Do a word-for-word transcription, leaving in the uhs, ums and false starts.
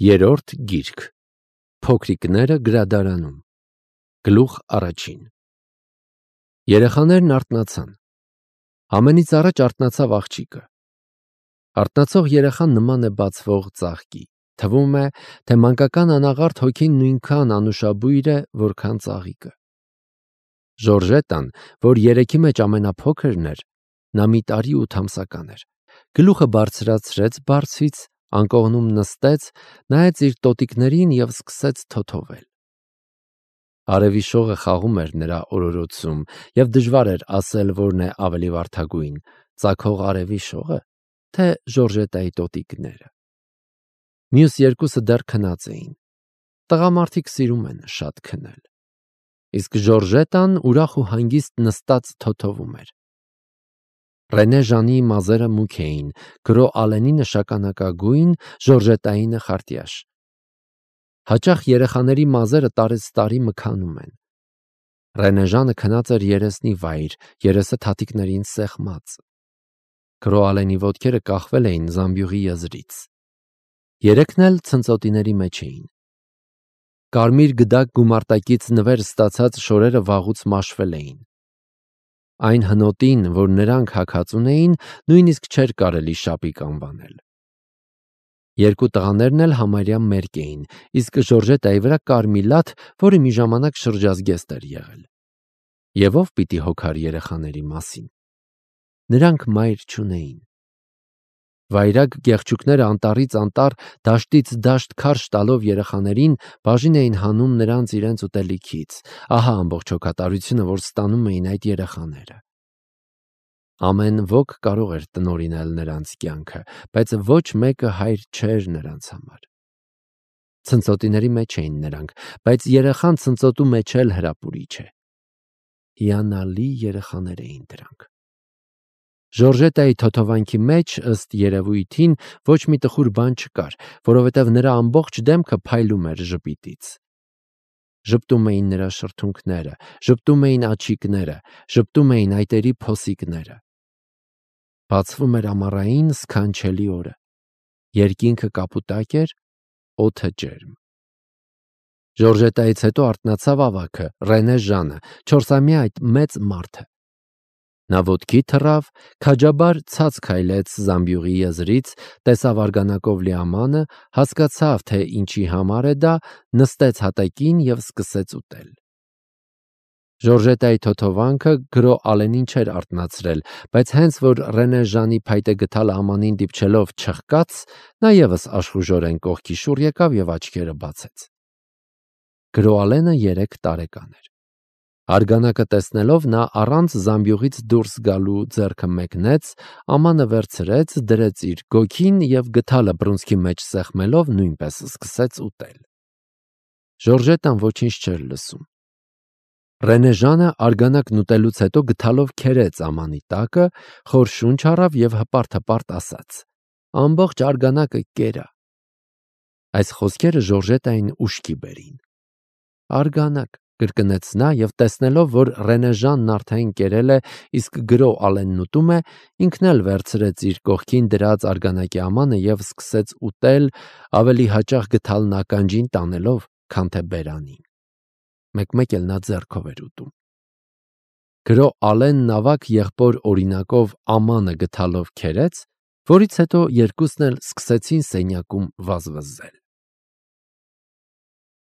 Երրորդ գիրք, Փոքրիկները գրադարանում, գլուխ առաջին։ Երեխաներն արթնացան։ Ամենից առաջ արթնացավ աղջիկը։ Արթնացող երեխան նման է բացվող ծաղկի։ Թվում է, թե մանկական անաղարտ հոգին նույնքան անուշաբույր է, որքան ծաղիկը։ Ժորժետան, որ երեքի մեջ ամենափոքրն էր, նա մի տարի ութ ամսական էր, գլուխը բարձրացրեց բարձից, անկողնում նստեց, նայեց իր տոտիկներին և սկսեց թոթովել։ Արևի շողը խաղում էր նրա օրորոցում, և դժվար էր ասել, որն է ավելի վարդագույն՝ ծագող արևի շողը, թե Ժորժետայի տոտիկները։ Մյուս երկուսը դեռ քնած էին։ Տղամարդիկ սիրում են շատ քնել։ Իսկ Ժորժետան ուրախ ու հանգիստ նստած թոթովում էր։ Ռենե Ժանի մազերը մուգ էին, Գրո Ալենինը շագանակագույն, Ժորժետայինը խարտյաշ։ Հաճախ երեխաների մազերը տարեցտարի մքանում են։ Ռենե Ժանը քնած էր երեսնի վայր, երեսը թաթիկներին սեղմած։ Գրո Ալենի ոտքերը կախվել էին զամբյուղի եզրից։ Երեքն էլ ցնծոտիների մեջ էին։ Կարմիր գդակ գումարտակից նվեր ստացած շորերը վաղուց մաշվել էին։ Այն հնոտին, որ նրանք հագած ունեին, նույնիսկ չէր կարելի շապիկ անվանել։ Երկու տղաներն էլ համարյա մերկ էին, իսկ Ժորժետայի վրա կար մի լաթ, որը մի ժամանակ շրջազգեստ էր եղել։ Եվ ով պիտի հոգար երեխաների մասին։ Նրանք մայր չունեին։ Վայրագ գեղչուկները անտառից անտառ, դաշտից դաշտ քարշ տալով երեխաներին, բաժին էին հանում նրանց իրենց ուտելիքից։ Ահա ամբողջ հոգատարությունը, որ ստանում էին այդ երեխաները։ Ամեն ոք կարող էր տնօրինել նրանց կյանքը, բայց ոչ մեկը հայր չէր նրանց համար։ Ցնծոտիների մեջ էին նրանք, բայց երեխան ցնծոտու մեջ էլ հրապուրիչ է։ Հիանալի երեխաներ էին դրանք։ Ժորժետայի թոթովանքի մեջ, ըստ երևույթին, ոչ մի տխուր բան չկար, որովհետև նրա ամբողջ դեմքը փայլում էր ժպիտից։ Ժպտում էին նրա շրթունքները, ժպտում էին աչիկները, ժպտում էին այտերի փոսիկները։ Բացվում էր ամառային սքանչելի օրը։ Երկինքը կապուտակ էր, օդը ջերմ։ Ժորժետայից հետո արթնացավ ավագը, Ռենե Ժանը, չորսամյա այդ մեծ մարդը։ Նա ոտքի թռավ, քաջաբար ցած քայլեց զամբյուղի եզրից, տեսավ արգանակով լիամանը, հասկացավ, թե ինչի համար է դա, նստեց հատակին և սկսեց ուտել։ Ժորժետայի թոթովանքը Գրո Ալենին չէր արթնացրել, բայց հենց որ Ռենե Ժանի փայտե գդալը ամանին դիպչելով չխկաց, նա ևս աշխուժորեն կողքի շուռ եկավ և աչքերը բացեց։ Գրո Ալենը երեք տարեկան էր։ Արգանակը տեսնելով նա առանց զամբյուղից դուրս գալու ձեռքը մեկնեց, ամանը վերցրեց, դրեց իր գոգին և գդալը բռունցքի մեջ սեղմելով նույնպես սկսեց ուտել։ Ժորժետան ոչինչ չէր լսում։ Ռենե Ժանը արգանակն ուտելուց հետո գդալով քերեց ամանի տակը, խոր շունչ առավ և հպարտ-հպարտ ասաց. «Ամբողջ արգանակը կերա»։ Այս խոսքերը Ժորժետային ուշքի բերին։ «Արգանակ», կրկնեց նա և տեսնելով, որ Ռենե Ժանն արդեն կերել է, իսկ Գրո Ալենն ուտում է, ինքն էլ վերցրեց իր կողքին դրած արգանակի ամանը և սկսեց ուտել, ավելի հաճախ գդալն ականջին տանելով, քան թե բերանին։ Մեկ-մեկ էլ նա ձեռքով էր ուտում։ Գրո Ալենն ավագ եղբոր օրինակով ամանը գդալով քերեց, որից հետո երկուսն էլ սկսեցին սենյակում վազվզել։